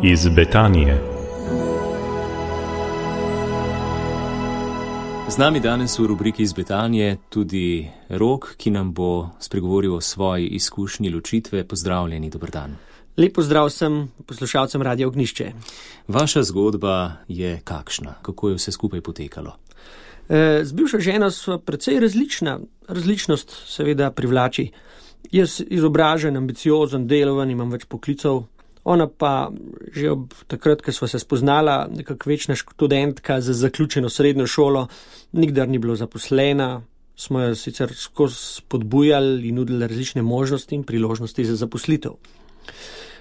Iz Betanije. Z nami danes v rubriki Iz Betanije tudi Rok, ki nam bo spregovoril o svoji izkušnji ločitve. Pozdravljeni, dober dan. Lep pozdrav vsem poslušalcem Radia Ognjišče. Vaša zgodba je kakšna? Kako je vse skupaj potekalo? Z bivšo ženo sva precej različna. Različnost seveda privlači. Jaz izobražen, ambiciozen, deloven, imam več poklicev. Ona pa že ob takrat, ko sva se spoznala, nekako večna študentka z zaključeno srednjo šolo, nikdar ni bila zaposlena, smo jo sicer skozi spodbujali in nudili različne možnosti in priložnosti za zaposlitev.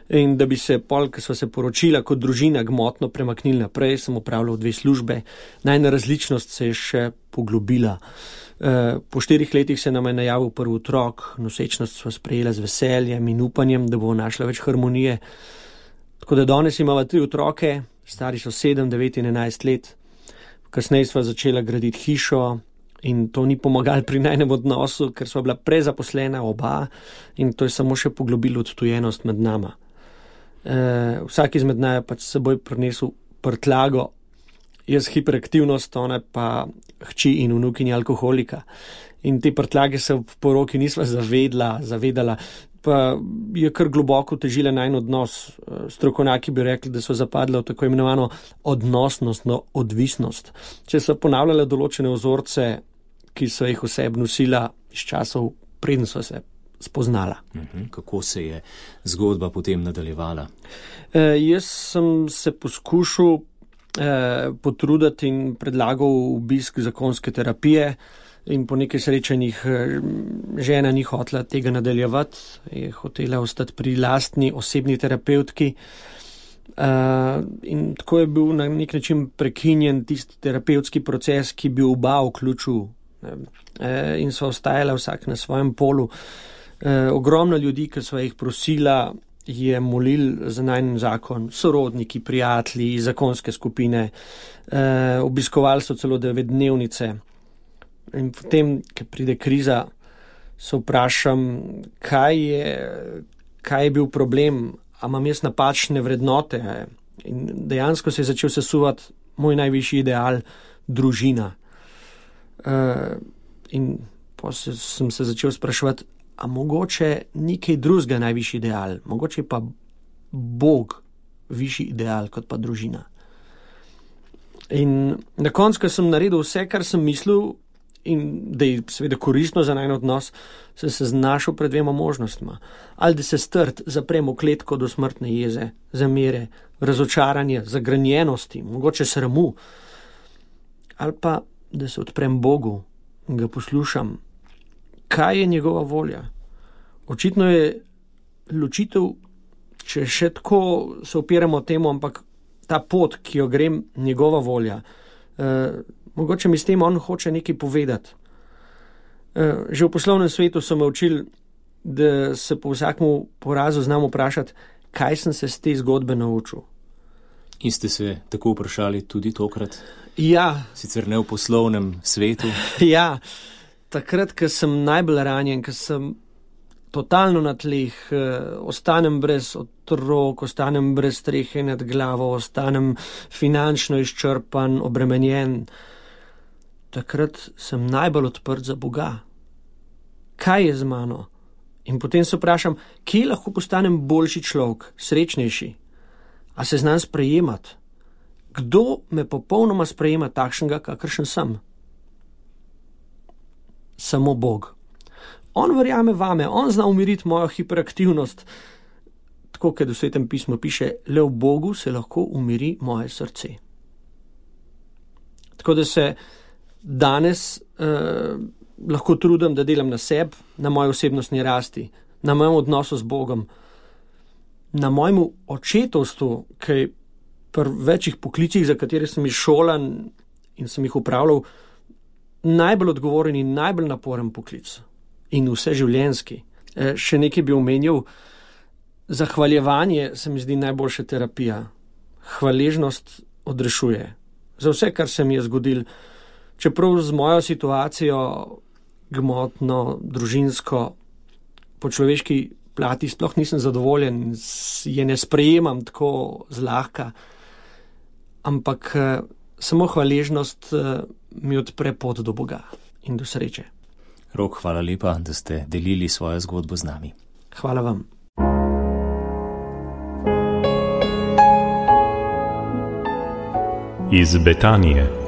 In da bi se pol, ko sva se poročila kot družina, gmotno premaknili naprej, sem opravljal 2 službe, najna različnost se je še poglobila. Po 4 letih se nam je najavil prvi otrok, nosečnost sva sprejela z veseljem in upanjem, da bo našla več harmonije. Tako da danes imava 3 otroke, stari so 7, 9 in 11 let. Kasneje sva začela graditi hišo in to ni pomagalo pri najnem odnosu, ker sva bila prezaposlena oba in to je samo še poglobilo odtujenost med nama. Vsak izmed naj je pač s seboj prinesel prtljago, jaz hiperaktivnost, ona pa hči in vnukinja alkoholika. In te prtljage se v poroki nisva zavedala, pa je kar globoko težila najin odnos. Strokovnjaki bi rekli, da so zapadle v tako imenovano odnosnostno odvisnost. Če so ponavljale določene vzorce, ki so jih vseb nosila iz časov, preden so se spoznala. Kako se je zgodba potem nadaljevala? Jaz sem se poskušal potruditi in predlagal obisk zakonske terapije in po nekaj srečanjih žena ni hotela tega nadaljevati, je hotela ostati pri lastni osebni terapevtki in tako je bil na nek način prekinjen tisti terapevtski proces, ki bi oba vključil in sva ostajala vsak na svojem polu. Ogromno ljudi, ki sva jih prosila, je molil za najin zakon, sorodniki, prijatelji, zakonske skupine, obiskovali so celo 9-dnevnice. In potem, ko pride kriza, se vprašam, kaj je bil problem, a imam jaz napačne vrednote. In dejansko se je začel sesuvati moj najvišji ideal, družina. In potem sem se začel spraševati, a mogoče ni kaj drugega najvišji ideal, mogoče pa Bog višji ideal kot pa družina. In na koncu, ko sem naredil vse, kar sem mislil, in da je seveda koristno za najin odnos, sem se znašel pred 2 možnostma. Ali da se strt zaprem v kletko do smrtne jeze, zamere, razočaranje, zagranjenosti, mogoče sramu, ali pa da se odprem Bogu in ga poslušam, kaj je njegova volja. Očitno je ločitev, če še tako se opiramo temu, ampak ta pot, ki jo grem, njegova volja. Mogoče mi s tem on hoče nekaj povedati. Že v poslovnem svetu so me učili, da se po vsakmu porazu znam vprašati, kaj sem se z te zgodbe naučil. In ste se tako vprašali tudi tokrat? Ja. Sicer ne v poslovnem svetu? Ja. Takrat, ko sem najbolj ranjen, ko sem totalno na tleh, ostanem brez otrok, ostanem brez strehe nad glavo, ostanem finančno izčrpan, obremenjen, takrat sem najbolj odprt za Boga. Kaj je z mano? In potem se vprašam, kje lahko postanem boljši človek, srečnejši? A se znam sprejemati? Kdo me popolnoma sprejema takšnega, kakršen sem? Samo Bog. On verjame vame, on zna umiriti mojo hiperaktivnost. Tako, kot v Svetem pismu piše, le v Bogu se lahko umiri moje srce. Tako da se danes lahko trudim, da delam na sebi, na moji osebnostni rasti, na mojem odnosu z Bogom, na mojem očetovstvu, ki je pri večjih poklicih, za katere sem izšolan in sem jih upravljal, najbolj odgovoren in najbolj naporen poklic in vseživljenjski. Še nekaj bi omenil, zahvaljevanje se mi zdi najboljša terapija. Hvaležnost odrešuje. Za vse, kar se mi je zgodilo, čeprav z mojo situacijo, gmotno, družinsko, po človeški plati sploh nisem zadovoljen, je ne sprejemam tako zlahka, ampak samo hvaležnost mi odpre pot do Boga in do sreče. Rok, hvala lepa, da ste delili svojo zgodbo z nami. Hvala vam. Iz Betanije.